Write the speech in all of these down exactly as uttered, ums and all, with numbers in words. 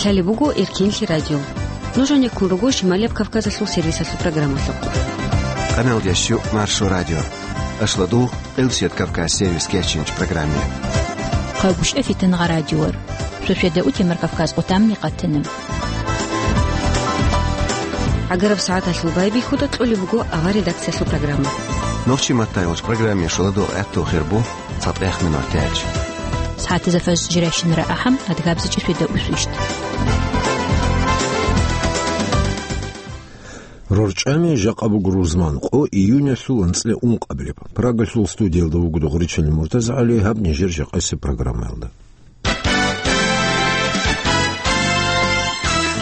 Лъалеб буго Эркенлъи радио. Нуж гьанеккун руго Шималияб Кавказалъул сервисалъул программалъухъ. Къаналдящу Маршо радио. Ашладу Элсият Кавказ сервис кечинч программе. Хъагушев Фитангъа радиор. Шошеда утемар Кавказ отамни къатана. ГӀагараб сагӀаталъул байбихьуда кьолеб буго авар редакциялъул программа. Нохчи маттайолч программе шуладул гӀатту хирбу цатӀех минор тяч. СагӀатазда фаз жиращинара ахӀам, адгабзичӀи шведа усвищт. РорчӀами жакъа буго рузман къо июнялъул анцӀила ункъабилеб. Прагалъул студиялда вуго Догъричалил МуртазагӀали, гьаб нижер жакъасеб программаялда.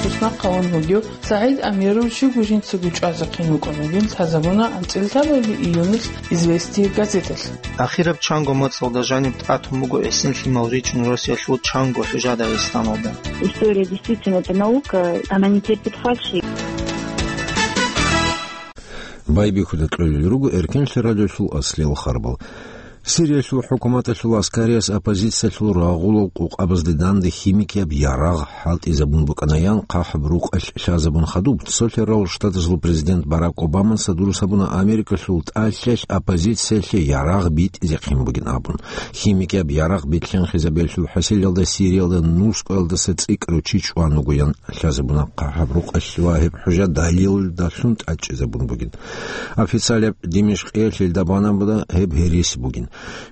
Туснахъ авун вугев СагӀид Амиров щивго жинцаго чӀвазехъин вукӀун вугин лъазабуна анцӀила лъабабилеб июнилъ «Известия» газеталъ. Ахираб чанго моцӀалда жаниб тӀатун буго эсин лъимал ричӀун Россиялъул чанго хӀужа Дагъистаналда. История действительно это наука, она не терпит фальши. Байбихьуда кьолел руго Эркенлъи радиолъул аслиял харбал. Сириялъул хӀукуматалъул аскариялъ оппозициялъул рагъулал къокъабазде данде химикияб ярагъ хӀалтӀизабун букӀанаян хъахӀаб рукъалъ лъазабун хадуб, цолъарал штатазул президент Барак Обаман садурус гьабуна Америкалъул тӀалъалъ оппозициялъе ярагъ битӀизехъин бугин абун. Химикияб ярагъ битлъинхъизабиялъул хӀасилалда Сириялда нускъоялдаса цӀикӀкӀарав чи чӀван вугоян лъазабуна хъахӀаб рукъалъ ва гьеб хӀужа далилалдалъун тӀадчӀезабун бугин. Официалаб Димишкъиялъ илда банабуна гьеб гьереси бугин.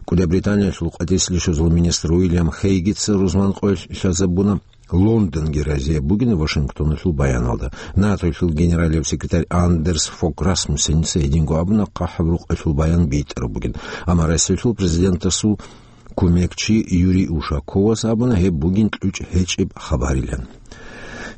КӀудияб Британиялъул къватӀислъи щвезул министр Уильям Хейгица рузман къоялъ лъазабуна, Лондонги разияб бугин Вашингтоналъул баяналда. НАТОялъул генералияб секретарь Андерс Фог Расмуссеница гьединго абуна, хъахӀаб рукъалъул баян битӀараб бугин. Амма Россиялъул президентасул кумекчи Юрий Ушаковас абуна, гьеб бугин кьучӀ гьечӀеб хабарилан.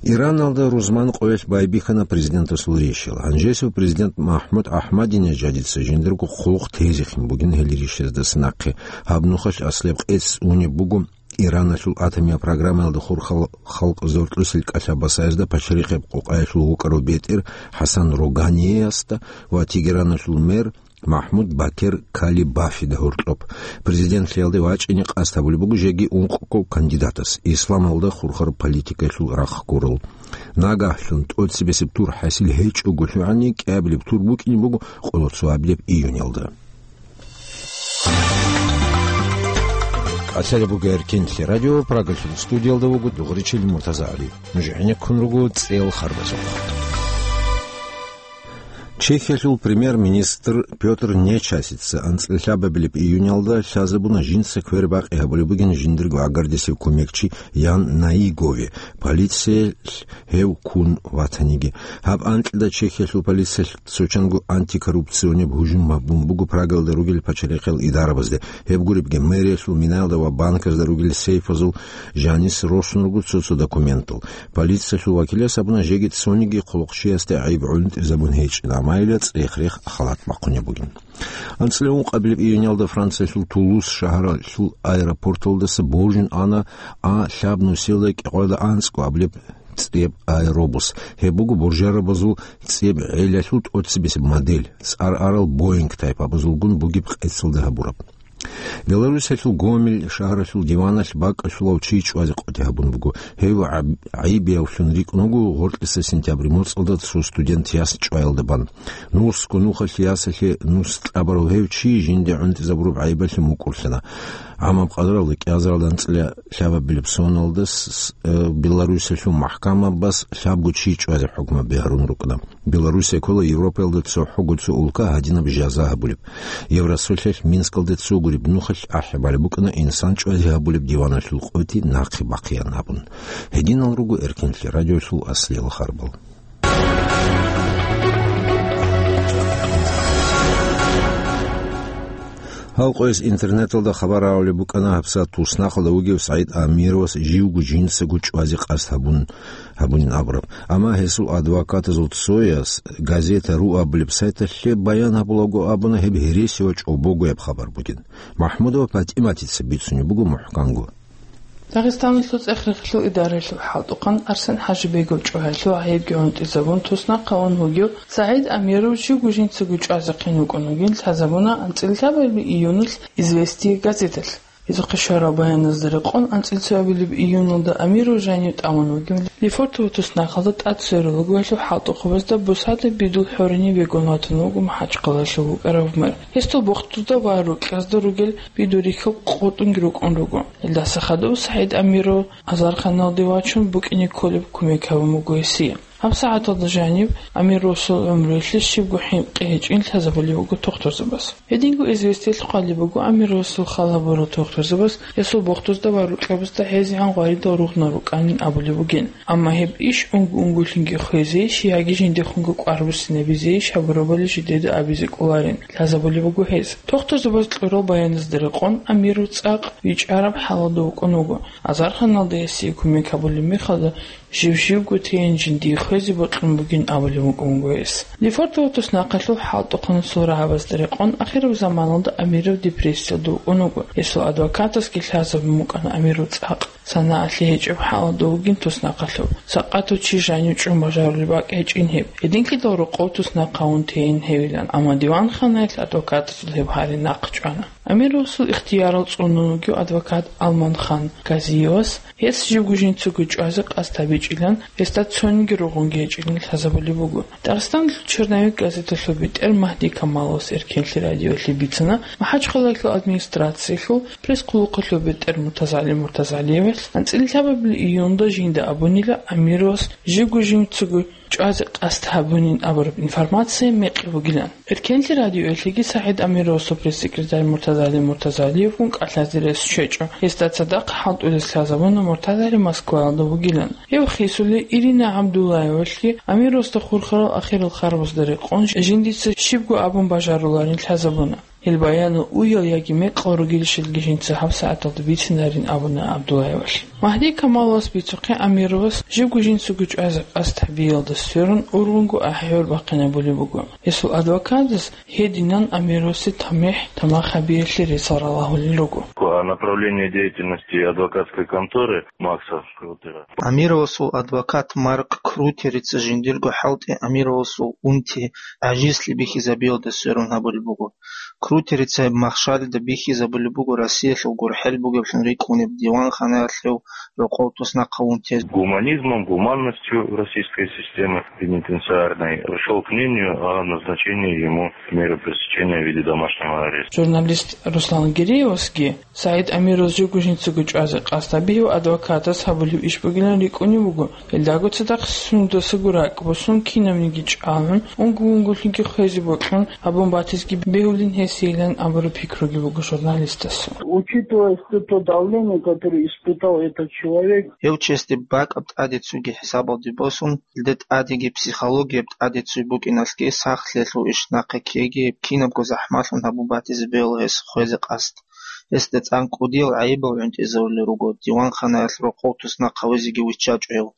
Ираналда рузман къоялъ байбихьана президентасул рещел. Гьанжесев президент МахӀмуд АхӀмадинежадица жиндирго хъулухъ тезехъин бугин гьел рещездаса нахъе. Гьаб нухалъ аслияб къец унеб буго Ираналъул атомияб программаялда хурхал халкъ зоркьусел кӀалъа-басаязда пачарихъеб къокъаялъул вукӀарав бетӀер ХӀасан Роганиевасда ва Тегераналъул мэр МахӀмуд Бакер Калибафида гьоркьоб. Президентлъиялде вачӀине къасд гьабулеб буго жеги ункъго кандидатас, исламалда хурхараб политикаялъул рахъ гурал. Нагагьлъун тӀоцебесеб тур хӀасил гьечӀого лъугӀани, кӀиабилеб тур букӀине буго къоло цоабилеб июнялда. КӀалъалеб буго Эркенлъи радио, Прагалъул студиялда вуго Дугъричил МуртазагӀали. Нуж гӀенеккун руго цӀел харбазухъ. Чехиялъул премьер-министр Пётр Нечасица анцӀила лъабабилеб июнялда лъазабуна жинца квер-бакъи гьабулеб бугин жиндирго гӀагардисев кумекчи Ян Наигове, полициялъ гьев ккун ватаниги. Гьаб анкьида Чехиялъул полициялъ цочанго антикоррупционеб гьужум гьабун буго Прагалда ругел пачалихъел идарабазде. Гьеб гуребги, мэриялъул минаялда ва банказда ругел сейфазул жанис росун руго цо-цо документал. Полициялъул вакилас абуна, жеги цониги хъулухъчиясде гӀайиб гӀунтӀизабун гьечӀин, амма гьелда цӀех-рех халат бахъунеб бугин. АнцӀила ункъабилеб июнялда Франциялъул Тулус шагьаралъул аэропорталдаса божун ана А лъаб нусиялда кӀикъоялда анцӀго абилеб цӀеб аэробус. Гьеб буго боржарабазул цӀеб гӀелалъул тӀоцебесеб модель, цӀар арал Боинг тайпабазулгун бугеб къецалда гьабураб. Беларусиялъул Гомель шагьаралъул диваналъ бакӀалъулав чи чӀвазе къотӀи гьабун буго. Гьев гӀаб-, гӀайибиявлъун рикӀкӀун вуго гъоркьиса сентябрь моцӀалда цо студент яс чӀваялда бан. Нусго нухалъ ясалъе нус кьабарав гьев чи жинде гӀунтӀизабураб гӀайибалъе мукӀурлъана. ГӀамаб къадралда кӀиазаралда анцӀила лъабабилеб соналда с-, с-, э, Беларусиялъул махӀкамабаз лъабго чи чӀвазе хӀукму бигьарун рукӀана. Беларусия ккола Европаялда цохӀого цо улка гьадинаб жаза гьабулеб. Евросоюзалъ Минскалде цо гуреб нухалъ ахӀи балеб букӀана инсан чӀвазе гьабулеб диваналъул къотӀи нахъе бахъеян абун. Гьединал руго Эркенлъи радиолъул аслиял харбал. Гьал къояс интернеталда хабар гьарулеб букӀана гьабсагӀат туснахъалда вугев СагӀид Амировас живго жинцаго чӀвазе къасд гьабун, гьабунин абураб. Амма гьесул адвокатазул цояс газета ру абулеб сайталъе баян гьабулаго абуна, гьеб гьереси ва чӀобогояб хабар бугин. МахӀмудова ПатӀиматица бицунеб буго мухӀканго. Дагъистаналъул цӀех-рехилъул идаралъул хӀалтӀухъан Арсен ХӀажибегов чӀваялъул гӀайибги гӀунтӀизабун туснахъ гьавун вугев СагӀид Амиров живго жинцаго чӀвазехъин вукӀун вугин лъазабуна анцӀила лъабабилеб июнилъ «Известия» газеталъ. Гьезухъе щварал баяназда рекъон, анцӀила цоябилеб июналда Амиров жанив тӀамун вугев Лефортово туснахъалда тӀад сверун вугевлъул хӀалтӀухъабазда бусада бидул хӀоринив вегун ватун вуго МахӀачхъалалъув вукӀарав мэр. Гьесул бохтузда ва рукьазда ругел бидул рихьал къотӀунги рукӀун руго. Гьелдаса хадув СагӀид Амиров азарханалде вачун букӀине кколеб кумек гьабун буго гьесие. ГьабсагӀаталда жаниб Амировасул гӀумруялъе щибго хӀинкъи гьечӀин лъазабулеб буго тохтурзабаз. Гьединго «Известиялъ» хъвалеб буго Амировасул хал гьабурал тохтурзабаз гьесул бохтузда ва рукьабазда гӀезегӀан гъваридал ругънал рукӀанин абулеб бугин. Амма гьеб иш унго-унголъинги хвезейищ яги жиндехунго кӀвар буссинабизейищ гьабурабали жидеда абизе кӀоларин лъазабулеб буго гьез. Тохтурзабаз кьурал баяназда рекъон, Амиров цӀакъ вичӀараб хӀалалда вукӀун вуго. Азарханалда гьесие кумек гьабулеб мехалда, жив-живго тейин жиндие хвезе бокьун бугин абулеб букӀун буго гьес. Лефортово туснахъалъул хӀалтӀухъанасул рагӀабазда рекъон, ахираб заманалда Амиров депрессиялда вукӀун вуго. Гьесул адвокатасги лъазабун букӀана Амиров цӀакъ, санагӀалъи гьечӀеб хӀалалда вугин туснахъалъув, сакъатав чи жанив чӀун бажарулеб бакӀ гьечӀин гьеб, гьединлъидал рокъов туснахъ гьавун тейин гьевилан, амма диванханаялъ адвокатасул гьеб гьари нахъ чӀвана. Амировасул ихтиярал цӀунун вугев адвокат Алманхан Газиевас гьес живго жинцаго чӀвазе къасд гьабичӀилан, гьесда цониги ругъунги гьечӀилан лъазабулеб буго. Дагъистаналъул «Черновик» газеталъул бетӀер Магьди Камаловас Эркенлъи радиоялъе бицана МахӀачхъалаялъул администрациялъул пресс-хъулухъалъул бетӀер МуртазагӀали МуртазагӀалиевалъ анцӀила лъабабилеб июнда жинда абунила Амировас живго жинцаго чӀвазе къасд гьабунин абураб информация мекъи бугилан. Эркенлъи радиоялъеги СагӀид Амировасул пресс-секретарь МуртазагӀали МуртазагӀалиевгун кӀалъазе рес щвечӀо. Гьесда цадахъ хӀалтӀулес лъазабуна МуртазагӀали Москваялда вугилан. Гьев хисули Ирина ГӀабдуллаевалъги Амировасда хурхарал ахирал харбазда рекъон жиндица щибго абун бажаруларин лъазабуна. Гьел баянал уял яги мекъал ругелищелги жинца гьабсагӀаталда бицинарин абуна ГӀабдуллаевалъ. Магьди Камаловас бицухъе Амировас живго жинцаго чӀвазе къасд гьабиялда сверун ургъунго ахӀи-гӀур бахъинабулеб буго. Гьесул адвокатас гьединан Амировасе тамихӀ тамах гьабиялъе рецал ралагьулел руго. О направлении деятельности адвокатской конторы Макса Крутера. Амировасул адвокат Марк Крутерица жиндирго хӀалтӀи Амировасул унти гӀажизлъи бихьизабиялда сверун гьабулеб буго. Крутерица гьеб махщалида бихьизабулеб буго Россиялъул гурхӀел бугеблъун рикӀкӀунеб диванханаялъ гьев рокъов туснахъ гьавун тезе. Гуманизмом, гуманностью российской системы пенитенциарной пришёл к мнению о назначении ему меры пресечения в виде домашнего ареста. Журналист Руслан Гереевасги СагӀид Амировас живго жинцаго чӀвазе къасд гьабиялъе адвокатас гьабулеб иш бугилан рикӀкӀунеб буго. Гьелдаго цадахъ сундасаго ракӀ босун, кинабниги чӀвалгӀун, унго-унголъинги хвезе бокьун гьабун батизеги бегьулин гьесейилан абураб пикруги буго журналистасул. Учитывая все то давление, которое испытал этот человек. Гьев чиясде бакӀаб тӀаде цоги хӀисабалде босун, гьелда тӀадеги психологияб тӀаде цой букӀиналъги сахлъиялъул иш нахъе ккеги, кинабго захӀмалъун гьабун батизе бегьула гьес хвезе къасд. Гьесда цӀан кӀудиял гӀайибал гӀунтӀизарулел руго, диванханаялъ рокъов туснахъ гьавизеги виччачӀо гьев,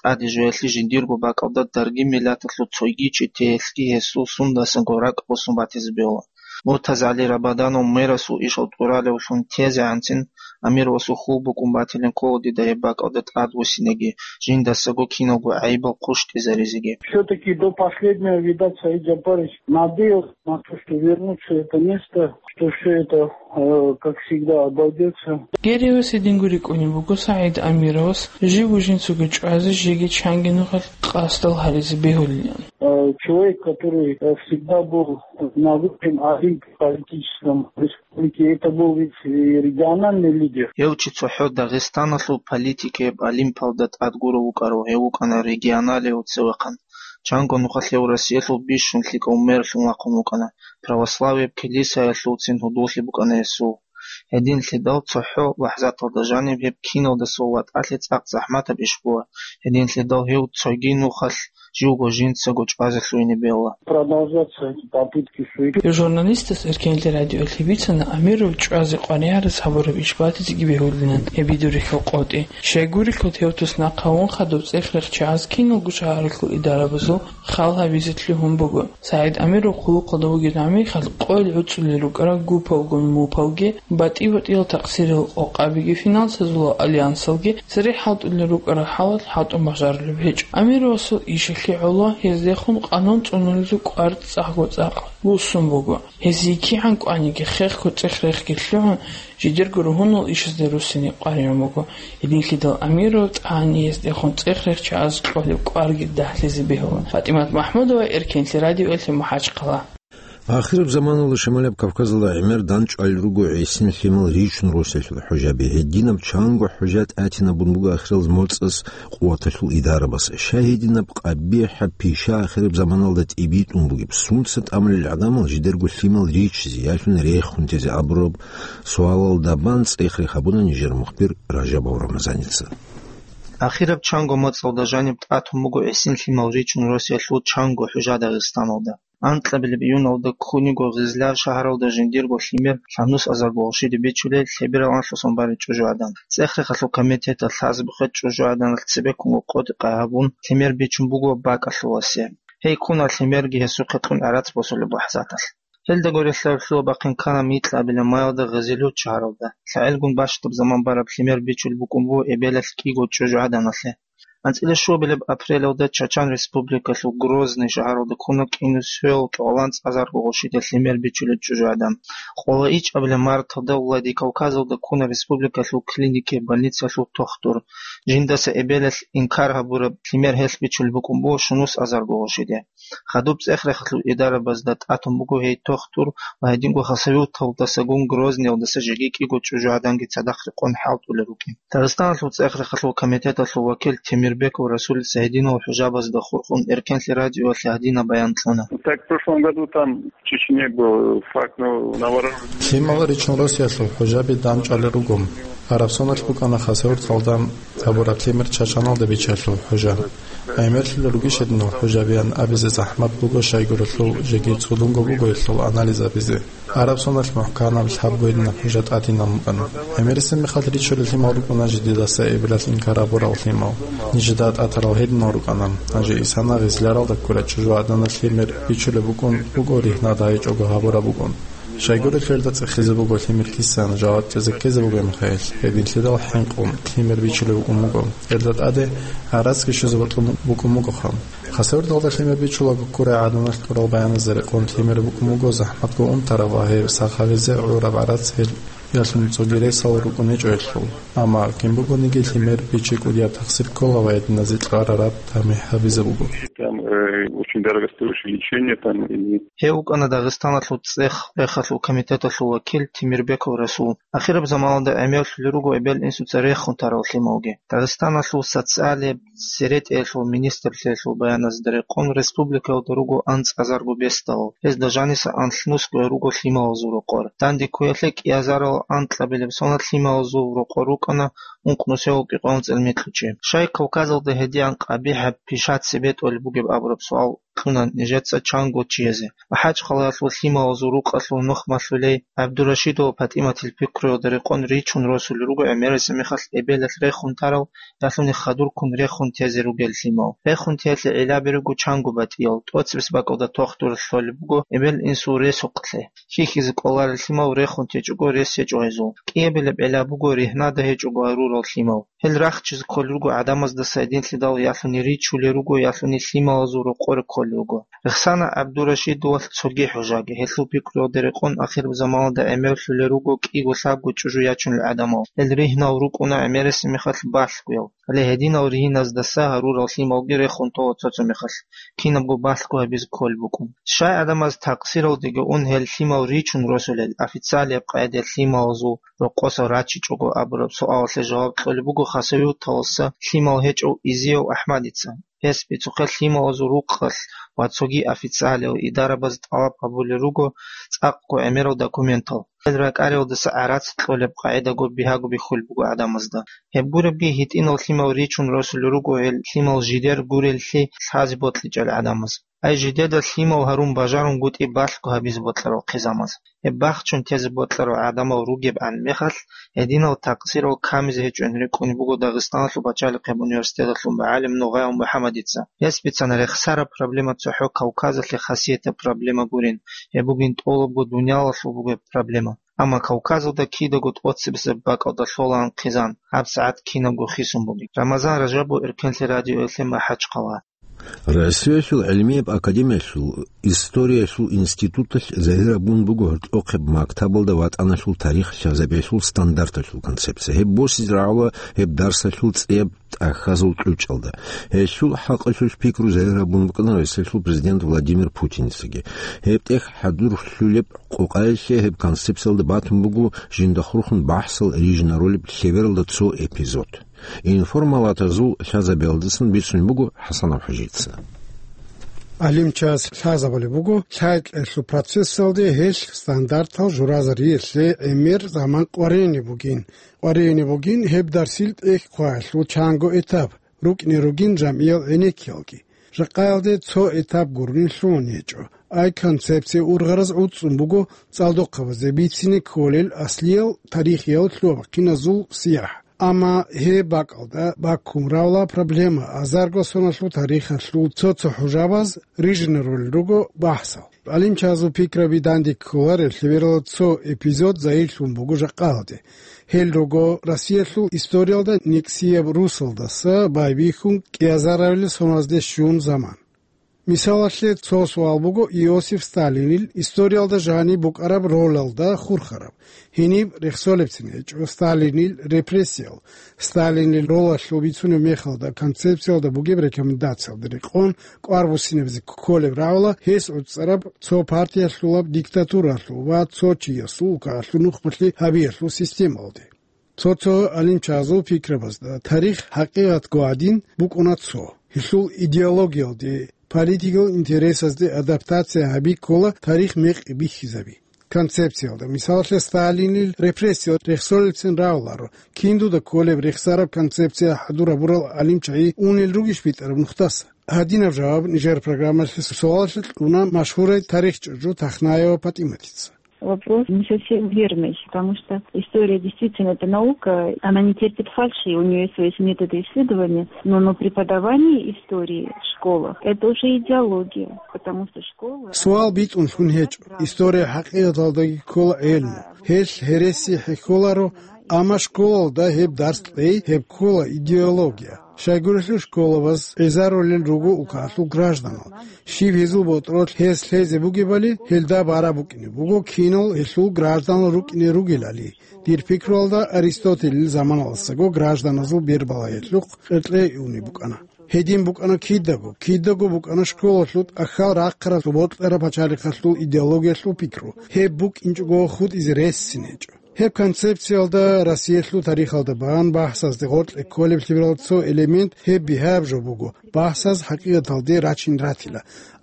тӀаде жоялъе жиндирго бакӀалда даргин миллаталъул цойги чи теялъги гьесул сундасанго ракӀ босун батизе бегьула. МуртазагӀали Рабаданов мерасул ишал тӀуралевлъун тезегӀанцин, Амировасул хьул букӀун батилин ккола дида гьеб бакӀалда тӀадвуссинеги, жиндасаго киналго гӀайибал хъущтӀизаризеги. Все-таки до последнего, видать, Саид Джапарович надеялся на то, что вернется это место, что все это, э, как всегда, обойдется. Гереевас гьединго рикӀкӀунеб буго СагӀид Амировас живго жинцаго чӀвазе жеги чанги нухалъ къасдал гьаризе бегьулилан. Э, человек, который, э, всегда был на высшем олимпе политическом республики, это был ведь и региональный лидер. Гьев чи цохӀо Дагъистаналъул политикияб олимпалда тӀад гурав вукӀарав, гьев вукӀана регионалияб цевехъан. Чанго нухалъ гьев Россиялъул бищун лъикӀав мэрлъун вахъун вукӀана, православияб килисаялъулцин гьудуллъи букӀана гьесул. Гьединлъидал цохӀо лахӀзаталда жаниб гьеб киналдасул ватӀалъи цӀакъ захӀматаб иш була. Гьединлъидал гьев цоги нухалъ живго жинцаго чӀвазе лъугьине бегьула. Продолжаться эти попытки суицид. Журналистас Эркенлъи радиоялъе бицана Амиров чӀвазе къваригӀарас гьабураб иш батизеги бегьулилан гьеб бидул рихьал къотӀи. Щайгурелъул гьев туснахъ гьавун хадуб цӀех рехчагӀаз киналго шагьаралъул идарабазул хал гьабизе лъугьун буго. СагӀид Амиров хъулухъалда вугеб гӀамрихъалъ къойил гӀуцӀулел рукӀарал гупалгун мупалги, батӀи-батӀиял такъсирал къокъабиги, финансазул альянсалги цере хӀалтӀулел рукӀарал хӀалалъ хӀалтӀун бажарулеб гьечӀо. Амировасул ишихъ КигӀоло гьездехун къанун цӀунулезул кӀвар цӀакъго-цӀакъ буссун буго. Гьезие кигӀан кӀваниги хехго цӀех-рехги лъугӀун, жидерго ругьунал ишазде руссине къваригӀун буго. Гьединлъидал Амиров тӀани гьездехун цӀех-рех чагӀаз кьолеб кӀварги дагьлъизе бегьула. ПатӀимат МахӀмудова, Эркенлъи радиоялъе, МахӀачхъала. Ахираб заманалда Шамалияб Кавказалда гӀемер дандчӀвалел руго гӀисин лъимал ричун росиялъул хӀужаби. Гьединаб чанго хӀужа тӀатинабун буго ахирал моцӀалъ къуваталъул идарабаз. Щай гьединаб къабихӀаб пиша ахираб заманалда тӀибитӀун бугеб? Сунца тӀамулел гӀадамал жидерго лъимал ричизе, ялъуни рехун тезе абураб суалалда бан цӀех-рех гьабуна нижер мухбир Ражабов Рамазаница. Ахираб чанго моцӀалда жаниб тӀатун буго гӀисин лъимал ричун росиялъул чанго хӀужа Дагъистаналда. Анкьабилеб июналда ккун йиго Гъизлияр шагьаралда жиндирго лъимер лъабнус азарго гъошиде бичулел лъеберал анлъусан барел чӀужугӀадан. ЦӀех-рехалъул комитеталъ лъазабухъе чӀужугӀаданалъ цебеккунго къотӀи-къай гьабун, лъимер бичун буго бакӀалъуласе. Гьей ккуна лъимерги гьесухъе кьун гӀарац босулеб лахӀзаталъ. Гьелда гурелъул лъугьа-бахъин ккана микьабилеб маялда Гъизлиюр шагьаралда. ЛъагӀелгун бащдаб заман бараб лъимер бичулеб букӀун буго эбелалъ кӀиго чӀужугӀаданалъе. АнцӀила щуабилеб апрелалда Чачан Республикалъул Грозный шагьаралда ккуна кӀинусиялъул кӀикъоялда анцӀазарго гъошиде лъимер бичулел чӀужугӀадан. Къоло ичӀабилеб марталда Владикавказалда ккуна республикалъул клинике, больницалъул тухтур. Жиндаса эбелалъ инкар гьабураб лъимер гьелъ бичулеб букӀун буго щунус азарго гъошиде. Хадуб цӀех-рехалъул идарабазда тӀатун буго гьей тухтур ва гьединго Хасавюрталдасагун Грозныйалдаса жеги кӀиго чӀужугӀаданги цадахъ рекъон хӀалтӀулел рукӀин. Дагъистаналъул цӀех-рехалъул комитеталъул вакил Темирбеков Расулица гьединал хӀужабазда хурхун Эркенлъи радиоялъе гьадинаб баян кьуна. Так, в прошлом году там в Чечне был факт, ну, на вооружении. Лъимал ричун росиялъул хӀужаби дандчӀвалел руго. Гьараб соналъ букӀана Хасавюрталда гьабураб лъимер Чачаналда бичиялъул хӀужа. ГӀемерлъулел ругищ гьединал хӀужабиян абизе захӀмат буго, щайгурелъул жеги цӀудунго буго гьелъул анализ гьабизе. Гьараб соналъ мухӀканаб лъабго гьединаб хӀужа тӀадинаб букӀана. ГӀемерисеб мехалъ ричулел лъимал рукӀуна жидедаса эбелалъ инкар гьабурал лъимал. Нижеда тӀатарал гьединал рукӀана. Гьанже исана Гъизлияралда ккурал чӀужугӀаданалъ лъимер бичулеб букӀун буго, ригьнада гьечӀого гьабураб букӀун. Щайгурелъул гьелда цӀехизе буго лъимер кисан, жаваб кьезе ккезе буго мехалъ, гьединлъидал хӀинкъун лъимер бичулеб букӀун буго. Гьелда тӀаде гӀарацги щвезе бокьун букӀун бугоха. Хасавюрталда лъимер бичулаго ккурай гӀаданалъ кьурал баяназда рекъон лъимер букӀун буго захӀматго унтараб ва гьеб сах гьабизе гӀураб гӀарац гьел ялъун цоги ресал рукӀун гьечӀо гьелъул. Амма кин бугониги лъимер бичи кӀудияб тахсир ккола ва гьединазе кьарараб тамихӀ гьабизе буго. Там, э, очень дорогостоящее лечение там и Гьев вукӀана Дагъистаналъул цӀех-рехалъул комитеталъул вакил Темирбеков Расул. Ахираб заманалда гӀемерлъулел руго эбел-инсуца рехун тарал лъималги. Дагъистаналъул социалияб серетӀиялъул министрлъиялъул баяназда рекъон республикаялда руго анцӀазарго бесдал. Гьезда жаниса анлънусго руго лъималазул рокъор. Данде ккуялъе кӀиазарал анкьабилеб соналъ лъималазул рокъор рукӀана ункънусиялъул кӀикъоялда анцӀила микьнучи. Щай Кавказалда гьедигӀан къабихӀаб пиша цебе тӀолеб бугеб абураб суал кьуна нижеца чанго чиязе. МахӀачхъалаялъул лъималазул рукъалъул нухмалъулей ГӀабдурашидова ПатӀиматил пикруялда рекъон ричун росулел руго гӀемерисеб мехалъ эбелалъ рехун тарал, ялъуни хадурккун рехун тезе ругел лъимал. Рехун теялъе гӀиллаби руго чанго батӀиял, тӀоцебесеб бакӀалда тухтуралъ лъолеб буго эбел-инсул ресухълъи. Хьихьизе кӀоларел лъимал рехун течӀого рес гьечӀо гьезул. КӀиабилеб гӀилла буго ригьнада гьечӀого гьарурал лъимал. Гьел рахчизе кколел руго гӀадамаздаса гьединлъидал, ялъуни ричулел руго, ялъуни лъималазул рокъоре кколел руго. Рехсана ГӀабдурашидовалъ цоги хӀужаги. Гьелъул пикруялда рекъон ахираб заманалда гӀемерлъулел руго кӀиго-лъабго чӀужу ячунел гӀадамал. Гьел ригьнал рукӀуна гӀемерисеб мехалъ балъгоял. Гьале гьединал ригьназдаса гьарурал лъималги рехун тола цо-цо мехалъ, кинабго балъго гьабизе кколеб букӀун. Щай гӀадамаз такъсиралдеги ун гьел лъимал ричун росулел, официалияб къайдаялъ лъималазул рокъосал рачичӀого абураб суалалъе жаваб кьолеб буго Хасавюрталдаса лъимал гьечӀев Изияв АхӀмадица. Гьес бицухъе лъималазул рукъалъ ва цоги официалиял идарабаз тӀалаб гьабулел руго цӀакъго гӀемерал документал. Гьел ракӀариялдаса гӀарац кьолеб къагӀидаго бигьаго бихьулеб буго гӀадамазда. Гьеб гуребги, гьитӀинал лъимал ричун росулел руго гьел лъимал жидер гуреллъи лъазе бокьичӀел гӀадамаз. Ай жидеда лъимал гьарун бажарунгутӀи балъго гьабизе бокьарал хъизамаз. Гьеб бахчун тезе бокьарал гӀадамал ругебгӀан мехалъ, гьединал такъсирал камизе гьечӀони рикӀкӀунеб буго Дагъистаналъул пачалихъияб университеталъул мугӀалим Нугъаев МухӀамадица. Гьес бицана, рехсараб проблема цохӀо Кавказалъе хасиятаб проблема гурин, гьеб бугин тӀолабго дуниялалъул бугеб проблема. Амма Кавказалда кидаго тӀоцебесеб бакӀалда лъолаан хъизан, гьабсагӀат кинабго хисун бугеб. Рамазан Ражабов, Эркенлъи радиоялъе, МахӀачхъала. Россиялъул гӀилмияб академиялъул историялъул институталъ загьир гьабун буго гьоркьохъеб мактабалда ватӀаналъул тарих лъазабиялъул стандарталъул концепция. Гьеб босизе рагӀула гьеб дарсалъул цӀияб тӀахьазул кьучӀалда. Гьелъул хӀакъалъулъ пикру загьир гьабун букӀана Россиялъул президент Владимир Путиницаги. Гьеб тӀехь хӀадурлъулеб къокъаялъе гьеб концепциялда батун буго жинда хурхун бахӀсал рижинарулеб лъебералда цо эпизод. Информалатазул лъазабиялдасан бицун буго ХӀасанов ХӀажица. ГӀалимчияс лъазабулеб буго, лъай-кьеялъул процессалде гьелъ стандартал журазариялъе гӀемер заман къваригӀине бугин. КъваригӀине бугин гьеб дарсил тӀехь хъваялъул чанго этап, рукӀине ругин жамгӀиял гӀенеккиялги. Жакъаялде цо этап гурони лъугьун гьечӀо. Ай концепция ургъараз гӀуцӀцӀун буго цӀалдохъабазде бицине кколел аслиял тарихиял лъугьа-бахъиназул сияхӀ. Амма гьеб бакӀалда баккун равла проблема азарго соналъул тарихалъул цо-цо хӀужабаз рижинарулел руго бахӀсал. ГӀалимчазул пикраби данде кколарел лъеберала цо эпизод загьирлъун буго жакъаялде. Гьел руго Россиялъул историялда никсияб русалдаса байбихьун кӀиазаравилел соналазде щун заман. Мисалалъе, цо суал буго Иосиф Сталинил историялда жаниб букӀараб ролалда хурхараб. Гьениб рехсолебцин гьечӀо Сталинил репрессиял, Сталинил ролалъул бицунеб мехалда концепциялда бугеб рекомендациялда рекъон кӀвар буссинабизе кколеб рагӀула гьес гӀуцӀцӀараб цо партиялъулаб диктатуралъул ва цо чиясул улкаялъул нухбалъи гьабиялъул системалде. Цо-цо гӀалимчазул пикрабазда тарих хӀакъикъатго гӀадин букӀуна цо. Гьелъул идеологиялде, политикал интересазде адаптация гьаби ккола тарих мекъи бихьизаби. Концепциялда, мисалалъе, Сталинил репрессиял рехсолелцин рагӀуларо, кин дуда кколеб рехсараб концепция хӀадур гьабурал гӀалимчагӀи унел ругищ битӀараб нухдаса? Гьадинаб жаваб нижер программалъе суалалъе кьуна машгьурай тарихчӀужу Тахнаева ПатӀиматица. Вопрос не совсем верный, потому что история действительно это наука, она не терпит фальши, у нее есть свои методы исследования, но, но преподавание истории в школах — это уже идеология, потому что школы... Суал битӀун лъун гьечӀо. История хӀакъикъаталдаги ккола гӀелму. Гьелъ гьереси хӀехьоларо, амма школалда гьеб дарс кьей, гьеб ккола идеология. Щайгурелъул школабаз гӀезарулел руго улкаялъул гражданал. Щиб гьезул ботӀролъ гьез лъезе бугебали, гьелда бараб букӀине буго кинал гьелъул гражданал рукӀине ругелали. Дир пикруялда Аристотелил заманалдасаго гражданазул бербалагьиялъухъ къеркьей унеб букӀана. Гьедин букӀана кидаго, кидаго букӀана школалъул тӀахьал рахъаралъул бокьараб пачалихъалъул идеологиялъул пикру. Гьеб букӀинчӀого хутӀизе ресцин гьечӀо. Гьеб концепциялда Россиялъул тарихалда бан бахӀсазде гъоркье кколеблъи берал цо элемент гьеб бигьаб жо буго, бахӀсаз хӀакъикъаталде рачин ратила.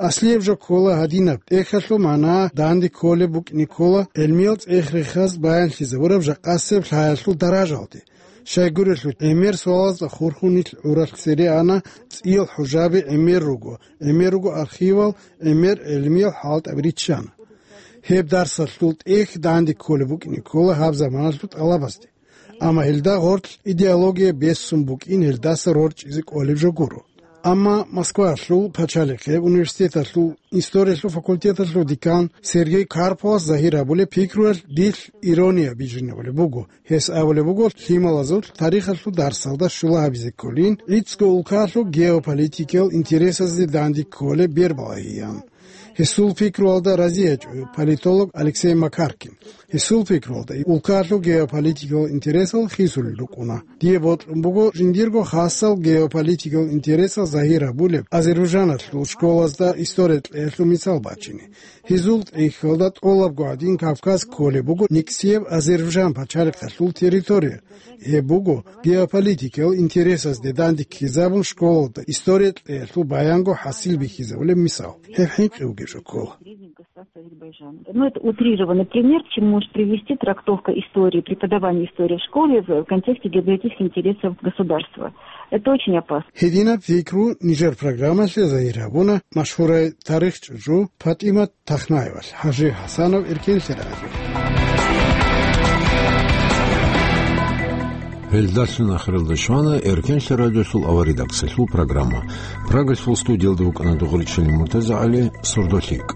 Аслияб жо ккола гьадинаб, тӀехьалъул магӀна данде кколеб букӀине ккола гӀелмиял цӀех-рехаз баянлъизабураб жакъасеб лъаялъул даражалде. Щайгурелъул гӀемер суалазда хурхунил гӀуралъ цере ана, цӀиял хӀужаби гӀемер руго, гӀемер руго архивал, гӀемер гӀелмиял хӀалтӀаби риччана. Гьеб дарсалъул тӀехь данде кколеб букӀине ккола гьаб заманалъул тӀалабазде. Амма гьелда гъорлъ идеология бессун букӀин гьелдаса рорчӀизе кӀолеб жо гуро. Амма Москваялъул пачалихъе университеталъул историялъул факультеталъул декан Сергей Карповас загьир гьабулеб пикруялъ дилъ ирония бижинабулеб буго. Гьес абулеб буго, лъималазул тарихалъул дарсалда щула гьабизе кколин, гӀицӀго улкалъул геополитикиял интересазде данде кколеб бербалагьиян. Гьесул пикруялда рази гьечӀо политолог Алексей Макаркин. Гьесул пикруялда улкалъул геополитикал интересал хисулел рукӀуна. Дие бокьун буго жиндирго хасал геополитикал интересал загьир гьабулеб Азербайджаналъул школазда история кьеялъул мисал бачине. Гьезул тӀехьалда тӀолабго гӀадин Кавказ кколеб буго никсияб Азербайджан пачалихъалъул территория. Гьеб буго геополитикал интересазде данде ккезабун школалда история кьеялъул баянго хӀасил бихьизабулеб мисал. Гьеб хӀинкъи вугеб жо ккола. Ну, это утрированный пример, к чему может привести трактовка истории, преподавание истории в школе в контексте геополитических интересов государства. Это очень опасно. Гьединаб пикру нижер программалъе загьир гьабуна машгьурай тарихчӀужу ПатӀимат Тахнаевалъ. ХӀажи ХӀасанов, Эркенлъи радио. Гьелдалъун ахиралда щвана Эркенлъи радиолъул аваридаксалъул программа. Прагалъул студиялда вукӀана Дугъричилин МуртазагӀали, сордолъикӀ.